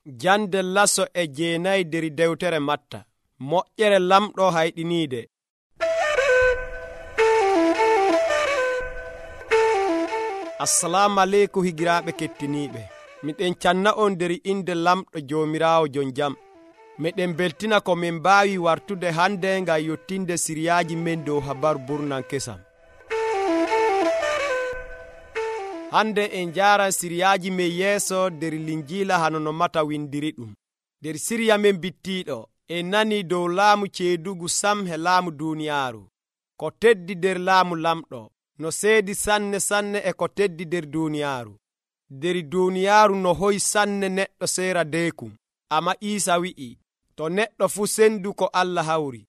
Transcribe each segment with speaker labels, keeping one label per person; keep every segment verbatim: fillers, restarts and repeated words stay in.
Speaker 1: Jande laso e jeenayi der dewtere Matta. Moƴƴere lamɗo hayɗiniide. Assalamu aleykum higiraaɓe kettiniiɓe. Miɗen canna on der inde lamɗo Joomiraawo jon jam. Meɗen beltina ko min mbaawi wartude hande ngam yottinde siriyaaji men dow habaru burnan kesam. Hande en jaaran siriyaaji men yeeso der linjiila hano no Mata windiri ɗum. Der siriya men bittiiɗo en nani dow laamu ceedugu sam he laamu duuniyaaru. Ko teddi der laamu lamɗo no seedi sanne sanne e ko teddi der duuniyaaru. Der duuniyaaru no hoyi sanne neɗɗo seera deekum. Amma Iisa wi'i, to neɗɗo fu sendu ko Allah hawri.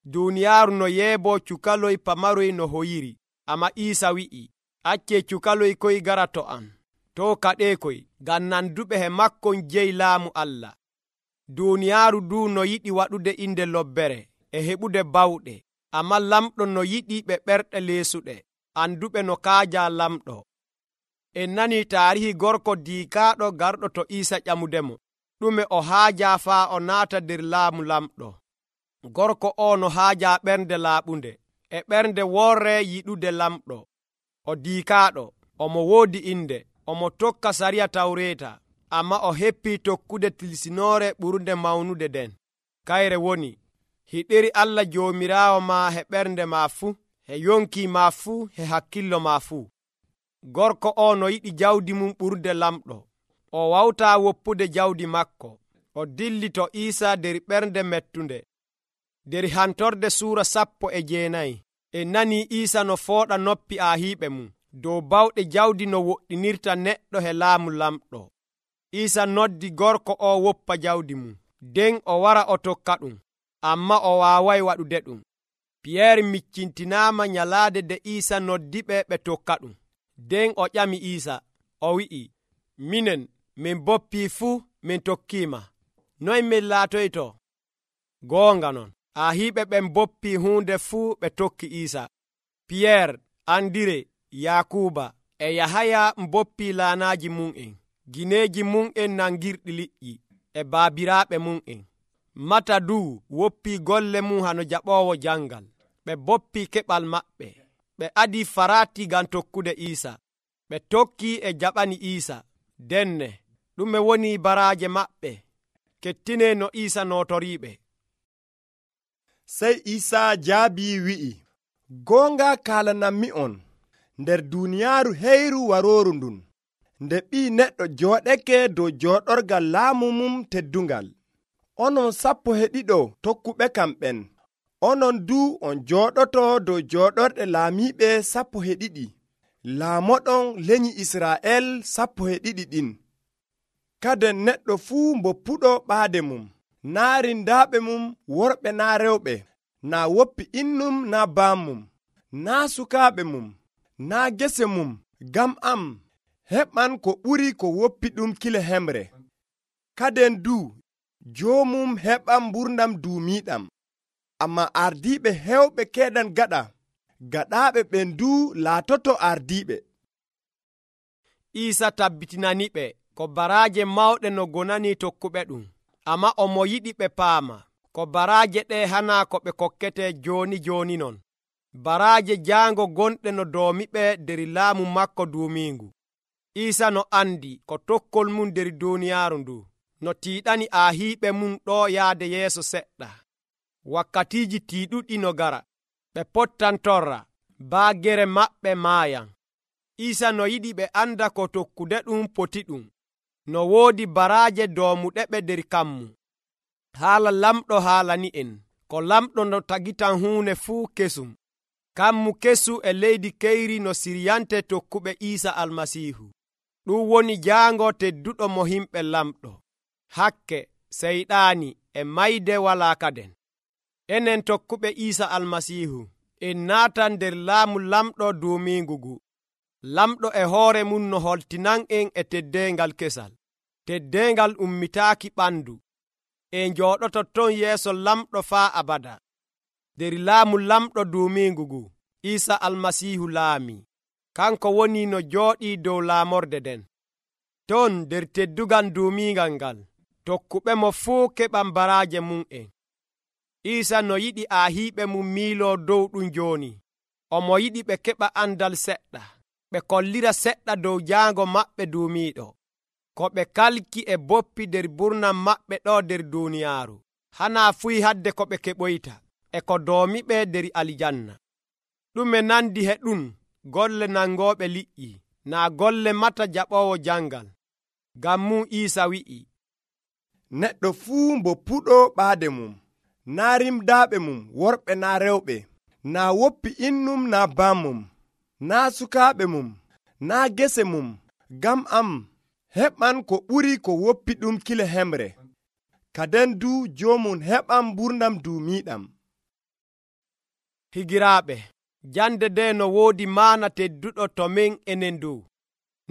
Speaker 1: Duuniyaaru no yeebo cukaloy pamaroy no hoyiri. Amma Iisa wi'i, acce cukaloy koy gara to am. To kaɗeekoy, ngam nanduɓe he makkon jeyi laamu Allah. Duuniyaaru du no yiɗi waɗude inde lobbere e heɓude bawɗe. Amma lamɗo no yiɗi ɓe ɓerɗe leesuɗe, anduɓe no kaaja lamɗo. En nani taarihi gorko diikaaɗo garɗo to Iisa ƴamudemo. Ɗume o haaja faa o naata der laamu lamɗo. Gorko o no haaja ɓernde laaɓunde e ɓernde worre yiɗude lamɗo. O diikaaɗo, omo woodi inde, omo tokka sariya tawreeta, amma o heppii tokkude tilsinoore ɓurnde mawnude den. Kayre woni, hiɗiri Allah Joomiraawo ma he ɓernde ma fuu, he yonki ma fuu, he hakkillo ma fuu. Gorko o no yiɗi jawdi mum ɓurde lamɗo. O wawtaa woppude jawdi makko. O dilli to Iisa der ɓernde mettunde. Der hantorde suura sappo e jeenayi en nani Iisa no fooɗa noppi aahiiɓe mum dow bawɗe jawdi no woɗɗinirta neɗɗo he laamu lamɗo. Iisa noddi gorko o woppa jawdi mum, nden o wara o tokka ɗum, amma o waaway waɗude ɗum. Piyeer miccintinaama nyalaade de Iisa noddiɓe ɓe tokka ɗum. Nden o ƴami Iisa, o wi'i, minen min boppii fuu min tokkiima. Noy min laatoyto? Goonga non, aahiiɓe ɓen boppii huunde fuu ɓe tokki Iisa. Piyeer, Andire, Yakuuba e Yahaya boppii laanaaji mum'en, gineeji mum'en nangirɗi liƴƴi e baabiraaɓe mum'en. Mata duu woppii golle mum hano jaɓoowo jangal. Ɓe boppii keɓal maɓɓe. Ɓe adii faraati ngam tokkude Iisa. Ɓe tokkii e jaɓani Iisa. Denne, ɗume woni baraaje maɓɓe? Kettine no Iisa nootoriiɓe.
Speaker 2: Sey Iisa jaabii wi'i, goonga kaalanammi on, nder duuniyaaru heyru warooru ndun, nde ɓii neɗɗo jooɗeke dow jooɗorgal laamu mum teddungal, onon sappo e ɗiɗo tokkuɓe kam ɓen, onon duu on jooɗoto dow jooɗorɗe laamiiɓe sappo e ɗiɗi, laamoɗon lenyi Israa'el sappo e ɗiɗi ɗin. Kaden neɗɗo fuu mboppuɗo ɓaade mum, naa rindaaɓe mum worɓe naa rewɓe, naa woppi innum naa baamum, naa sukaaɓe mum, naa gese mum, ngam am heɓan ko ɓuri ko woppi ɗum kile hemre. Kaden duu joomum heɓan mburnam duumiiɗam. Amma ardiiɓe hewɓe keeɗan gaɗa, gaɗaaɓe ɓen duu laatoto ardiiɓe.
Speaker 1: Iisa tabbitinaniɓe ko baraaje mawɗe no gonani tokkuɓe ɗum, amma omo yiɗi ɓe paama ko baraaje ɗe hanaa ko ɓe kokkete jooni jooni non. Baraaje jaango gonɗe no doomiɓe der laamu makko duumiingu. Iisa no andi ko tokkol mum der duuniyaaru ndu no tiiɗani aahiiɓe mum ɗo yaade yeeso seɗɗa. Wakkatiiji tiiɗuɗi no gara, ɓe pottan torra, baagere maɓɓe maayan. Iisa no yiɗi ɓe anda ko tokkude ɗum poti ɗum, no woodi baraaje doomuɗe ɓe der kammu. Haala lamɗo haalani en, ko lamɗo no tagitan huune fuu kesum. Kammu kesu e leydi keyri no siryante tokkuɓe Iisa Almasiihu. Ɗum woni jaango tedduɗo mo himɓe lamɗo. Hakke, seyɗaani e mayde walaa kaden. Enen tokkuɓe Iisa Almasiihu en naatan nder laamu lamɗo duumiingugu. Lamɗo e hoore mum no holtinan en e teddeengal kesal. Teddeengal ummitaaki ɓandu. En jooɗoto ton yeeso lamɗo faa abada. Der laamu lamɗo duumiingugu, Iisa Almasiihu laami. Kanko woni no jooɗii dow laamorde den. Ton der teddugal duumiingal ngal, tokkuɓe mo fuu keɓan baraaje mum en. Iisa no yiɗi aahiiɓe mum miiloo dow ɗum jooni. Omo yiɗi ɓe keɓa andal seɗɗa, ɓe kollira seɗɗa dow jaango maɓɓe duumiiɗo, ko ɓe kalki e boppi nder burnam maɓɓe ɗo nder duuniyaaru. Hanaa fuy hadde ko ɓe keɓoyta, e ko doomiɓe nder aljanna. Ɗume nandi he ɗum golle nangooɓe liƴƴi, naa golle mata jaɓoowo jangal. Ngam mum Iisa wi'i,
Speaker 2: neɗɗo fuu mbo puɗo ɓaade mum, naa rimdaaɓe mum worɓe naa rewɓe, naa woppi innum naa bammum, naa sukaaɓe mum, naa gese mum, ngam am heɓan ko ɓuri ko woppi ɗum kile hemre. Kaden du joomum heɓan mburnam duumiiɗam.
Speaker 1: Higiraaɓe, jande nde no woodi maana tedduɗo to men enen dow.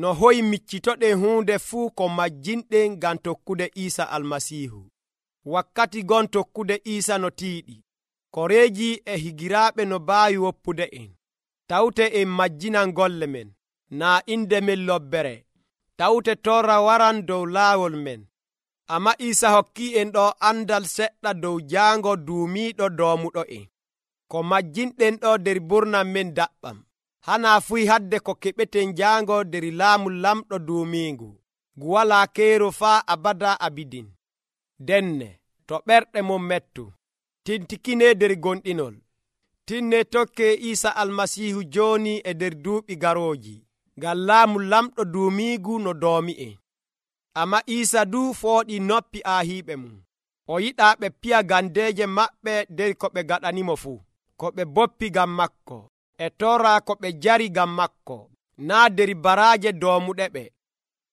Speaker 1: No hoyi miccitoɗen huunde fuu ko majjinɗen ngam tokkude Iisa Almasiihu. Wakkati gon tokkude Iisa no tiiɗi. Koreeji e higiraaɓe no baawi woppude en. Tawte en majjinan golle men, naa inde men lobbere. Tawte torra waran dow laawol men. Amma Iisa hokkii en ɗo andal seɗɗa dow jaango duumiiɗo doomuɗo en. Ko majjinɗen ɗo nder burnam men daɓɓam. Hanaa fuy hadde ko keɓeten jaango nder laamu lamɗo duumiingu, ngu walaa keero faa abada abidin. Denne, to ɓerɗe mon mettu, tintikine nder gonɗinol. Tinne tokke Iisa Almasiihu jooni e nder duuɓi garooji, ngam laamu lamɗo duumiigu no doomi en. Amma Iisa du fooɗi noppi aahiiɓe mum. O yiɗaa ɓe piya gandeeje maɓɓe nder ko ɓe gaɗanimo fuu, ko ɓe boppi ngam makko, e torra ko ɓe jari ngam makko, naa nder baraaje doomuɗe ɓe.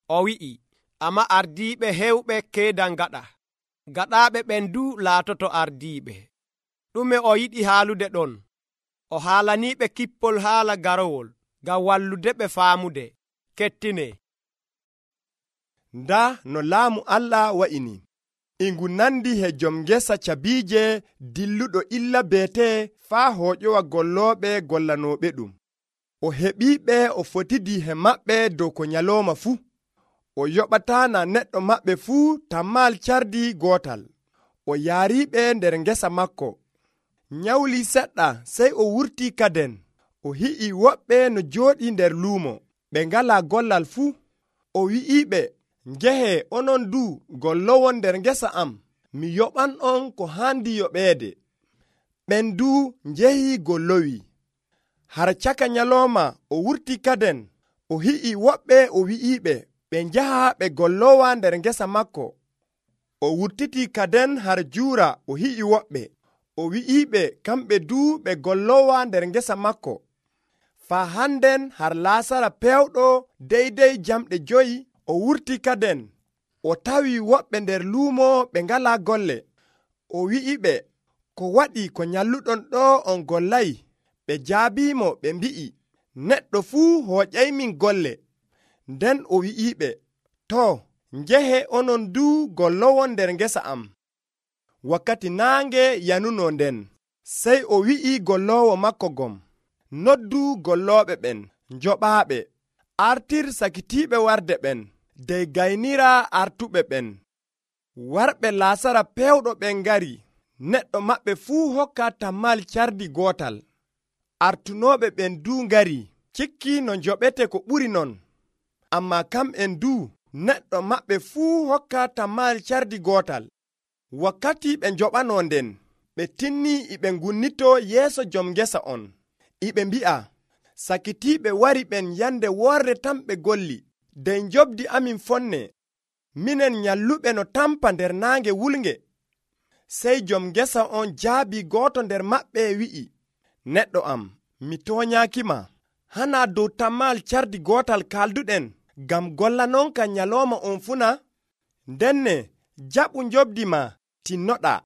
Speaker 1: O wi'i, amma ardiiɓe hewɓe keedan gaɗa, gaɗaaɓe ɓen du laatoto ardiiɓe. Ɗume o yiɗi haalude ɗon? O haalaniiɓe kippol haala garowol, ngam wallude ɓe faamude. Kettine.
Speaker 2: Nda no laamu Allah wa'ini. Ingu nandi he jom ngesa cabiije dilluɗo illa beete faa hooƴowa gollooɓe gollanooɓe ɗum. O heɓiiɓe o fotidi he maɓɓe dow ko nyalooma fuu. O yoɓataa na neɗɗo maɓɓe fuu tammal cardi gootal. O yaariiɓe nder ngesa makko. Nyawli seɗɗa sey o wurtii kaden. O hi'i woɓɓe no jooɗi nder luumo, ɓe ngalaa gollal fuu. O wi'iiɓe, njehe onon du gollowon nder ngesa am, mi yoɓan on ko haandi yoɓeede. Ɓen du njehi gollowi. Har caka nyalooma o wurti kaden. O hi'i woɓɓe o wi'iiɓe, ɓe njaha ɓe gollowa nder ngesa makko. O wurtiti kaden har juura o hi'i woɓɓe. O wi'iiɓe kamɓe du ɓe gollowa nder ngesa makko. Faa hannden har laasara pewɗo deydey jamɗe joyi o wurti kaden. O tawi woɓɓe nder luumo ɓe ngalaa golle. O wi'iɓe, ko waɗi ko nyalluɗon ɗo on gollay? Ɓe jaabiimo ɓe mbi'i, neɗɗo fuu hooƴaymin golle. Nden o wi'iɓe, too, njehe onon du gollowon nder ngesa am. Wakkati naange yanuno nden, sey o wi'i golloowo makko gom, noddu gollooɓe ɓen, njoɓaaɓe, artir sakitiiɓe warde ɓen, dey gaynira artuɓe ɓen. Warɓe laasara pewɗo ɓen ngari, neɗɗo maɓɓe fuu hokka tammal cardi gootal. Artunooɓe ɓen du ngari, cikki no njoɓete ko ɓuri non. Ammaa kamɓen du, neɗɗo maɓɓe fuu hokka tammal cardi gootal. Wakkati ɓe njoɓanoo nden, ɓe tinnii iɓe ngunnito yeeso jom ngesa on. Iɓe mbi'a, sakitiiɓe wari ɓen yande woorde tan ɓe golli, dey njobdi amin fonne, minen nyalluɓe no tampa nder naange wulnge. Sey jom ngesa on jaabi gooto nder maɓɓe wi'i, neɗɗo am, mi toonyaakima, hanaa dow tammal cardi gootal kalduɗen, ngam gollanonka nyalooma on funa? Ndenne, jaɓu njobdi ma, tinnoɗaa.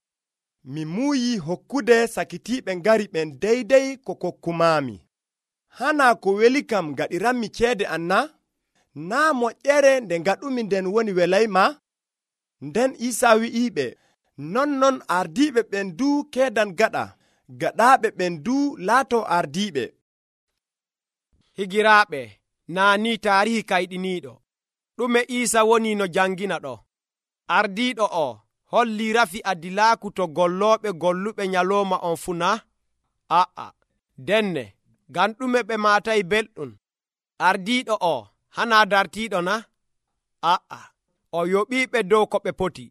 Speaker 2: Mi muuyi hokkude sakitiiɓe ngari ɓen deydey ko kokkumaami. Hanaa ko weli kam gaɗiranmi ceede an na? Naa moƴƴere nde ngaɗumi nden woni welayma? Nden Iisaa wi'iiɓe, nonnon ardiiɓe ɓen du keedan gaɗa, gaɗaaɓe ɓen du laato ardiiɓe.
Speaker 1: Higiraaɓe, naa ni taarihi kayɗiniiɗo. Ɗume Iisa woni no jangina ɗo? ardiiɗo o holli rafi adilaaku to gollooɓe golluɓe nyalooma on fuu na? A'a, denne, ngam ɗume ɓe maatay belɗum? Ardiiɗo o hanaa dartiiɗo na? A'a, o yoɓiiɓe dow ko ɓe poti.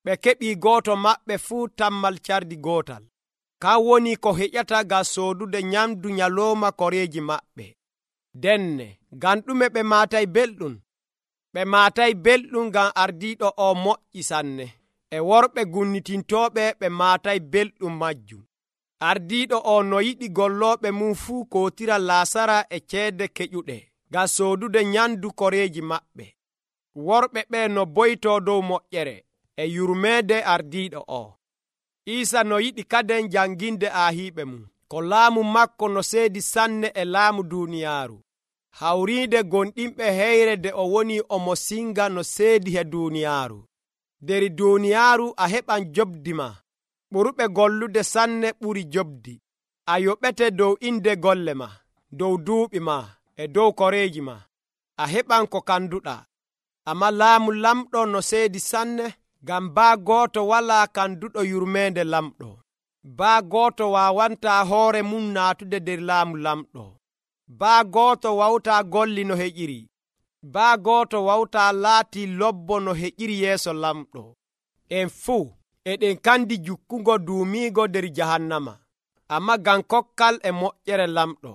Speaker 1: Ɓe keɓii gooto maɓɓe fuu tammal cardi gootal. Kan woni ko heƴata ngam soodude nyamdu nyalooma koreeji maɓɓe. Denne, ngam ɗume ɓe maatay belɗum? Ɓe maatay belɗum ngam ardiiɗo o moƴƴi sanne. E worɓe gunnitintooɓe ɓe maatay belɗum majjum. Ardiiɗo o no yiɗi gollooɓe mum fuu kootira laasara e ceede keƴuɗe ngam soodude nyamdu koreeji maɓɓe. Worɓe ɓe no boytoo dow moƴƴere e yurmeede ardiiɗo o. Iisa no yiɗi kaden janginde aahiiɓe mum, ko laamu makko no seedi sanne e laamu duuniyaaru. Hawriide gonɗinɓe heyre de o woni omo singa no seedi he duuniyaaru. Der duuniyaaru a heɓan jobdi ma. Ɓurɓe gollude sanne ɓuri jobdi. A yoɓete dow inde golle ma, dow duuɓi ma, e dow koreeji ma. A heɓan ko kanduɗaa. Amma laamu lamɗo no seedi sanne, ngam baa gooto walaa kanduɗo yurmeende lamɗo. Baa gooto waawantaa hoore mum naatude der laamu lamɗo. Baa gooto wawtaa golli no heƴiri. Baa gooto wawtaa laatii lobbo no heƴiri yeeso lamɗo. En fuu eɗen kandi jukkugo duumiigo der jahannama, amma ngam kokkal e moƴƴere lamɗo.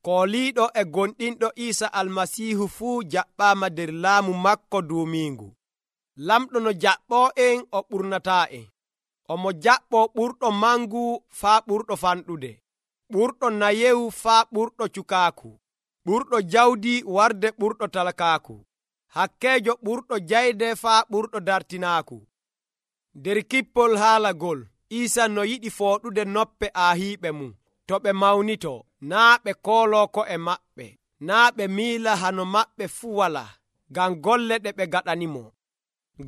Speaker 1: Kooliiɗo e gonɗinɗo Iisa Almasiihu fuu jaɓɓaama der laamu makko duumiingu. Lamɗo no jaɓɓoo en o ɓurnataa en. Omo jaɓɓoo ɓurɗo mangu faa ɓurɗo fanɗude, ɓurɗo nayewu faa ɓurɗo cukaaku, ɓurɗo jawdi warde ɓurɗo talakaaku, hakkeejo ɓurɗo jayde faa ɓurɗo dartinaaku. Der kippol haalagol, Iisa no yiɗi fooɗude noppe aahiiɓe mum to ɓe mawnitoo, naa ɓe kooloo ko'e maɓɓe, naa ɓe miila hano maɓɓe fuu walaa, ngam golle ɗe ɓe gaɗanimo.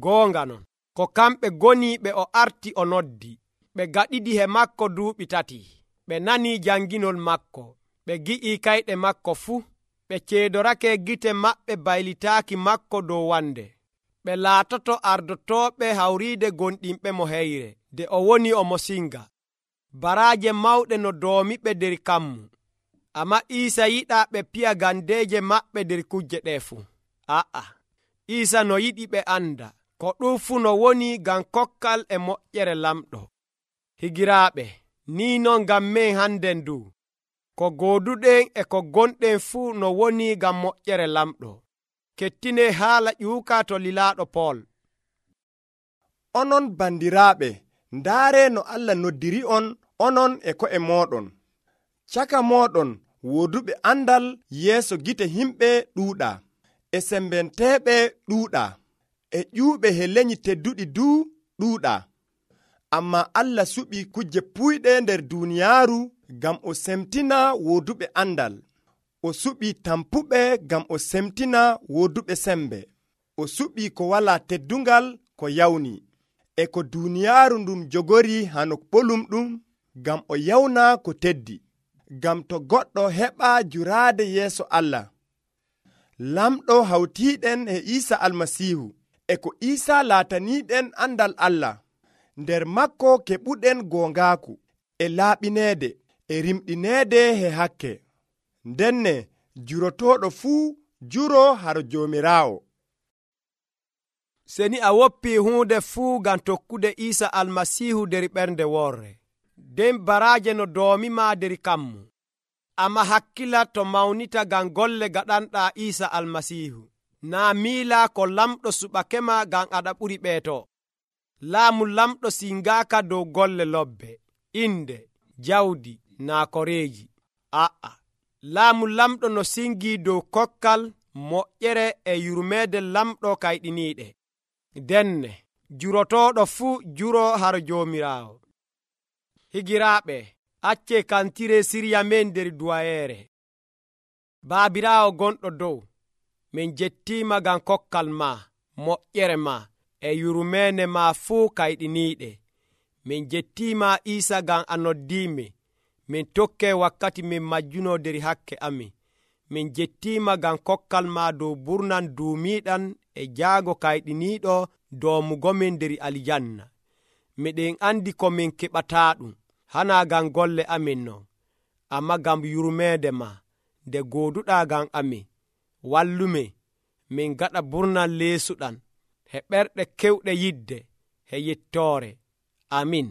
Speaker 1: Goonga non, ko kamɓe goniiɓe o arti o noddi. Ɓe gaɗidi he makko duuɓi tati. Ɓe nanii janginol makko, ɓe gi'ii kayɗe makko fuu. Ɓe ceedorake gite maɓɓe baylitaaki makko dow wande. Ɓe laatoto ardotooɓe hawriide gonɗinɓe mo heyre, de o woni omo singa. Baraaje mawɗe no doomiɓe der kammu. Amma Iisa yiɗaa ɓe piya gandeeje maɓɓe der kujje ɗee fuu. A'a, Iisa no yiɗi ɓe anda ko ɗum fuu no woni ngam kokkal e moƴƴere lamɗo. Higiraaɓe, nii non ngam men handen ndu, ko gooduɗen e ko gonɗen fuu no woni ngam moƴƴere lamɗo. Kettine haala ƴuuka to lilaaɗo Pool.
Speaker 2: Onon bandiraaɓe, ndaare no Allah noddiri on onon e ko'e mooɗon. Caka mooɗon wooduɓe andal yeeso gite himɓe ɗuuɗaa, e sembenteeɓe ɗuuɗaa, e ƴuuɓe he lenyi tedduɗi duu ɗuuɗaa. Amma Allah suɓi kujje puyɗe nder duuniyaaru ngam o semtina wooduɓe andal. O suɓi tampuɓe ngam o semtina wooduɓe sembe. O suɓi ko walaa teddungal ko yawni, e ko duuniyaaru ndum jogori hano ɓolum ɗum ngam o yawna ko teddi, ngam to goɗɗo heɓa juraade yeeso Allah. Lamɗo hawtiiɗen e Iisa Almasiihu, e ko Iisa laataniiɗen andal Allah. Nder makko keɓuɗen goongaaku, e laaɓineede, e rimɗineede he hakke. Ndenne jurotooɗo fuu juro haro Joomiraawo.
Speaker 1: Seni a woppii huunde fuu ngam tokkude Iisa Almasiihu der ɓernde worre, nden baraaje no doomima der kammu. Amma hakkila to mawnita ngam golle gaɗanɗaa Iisa Almasiihu, naa miila ko lamɗo suɓakema ngam aɗa ɓuri ɓeeto. Laamu lamɗo singaaka dow golle lobbe, inde, jawdi, naa koreeji. A'a, laamu lamɗo no singii dow kokkal, moƴƴere e yurmeede lamɗo kayɗiniiɗe. Denne, jurotooɗo fuu juro haro Joomiraawo. Higiraaɓe, accee kantire sirya men der duwayeere. Baabiraawo gonɗo dow, min jettiima ngam kokkal ma, moƴƴere ma, e yurmeene ma fuu kayɗiniiɗe. Min jettiima Iisa ngam a noddiimi. Min tokkee wakkati min majjuno der hakke amin. Min jettiima ngam kokkal ma dow burnan duumiiɗan e jaago kayɗiniiɗo doomugomin nder aljanna. Miɗen andi ko min keɓataaɗum hana ngam golle amin non, amma ngam yurmeede ma nde gooduɗaa ngam amin. Wallume min gaɗa burnal leesuɗan he ɓerɗe kewɗe yidde he yettoore. Amin.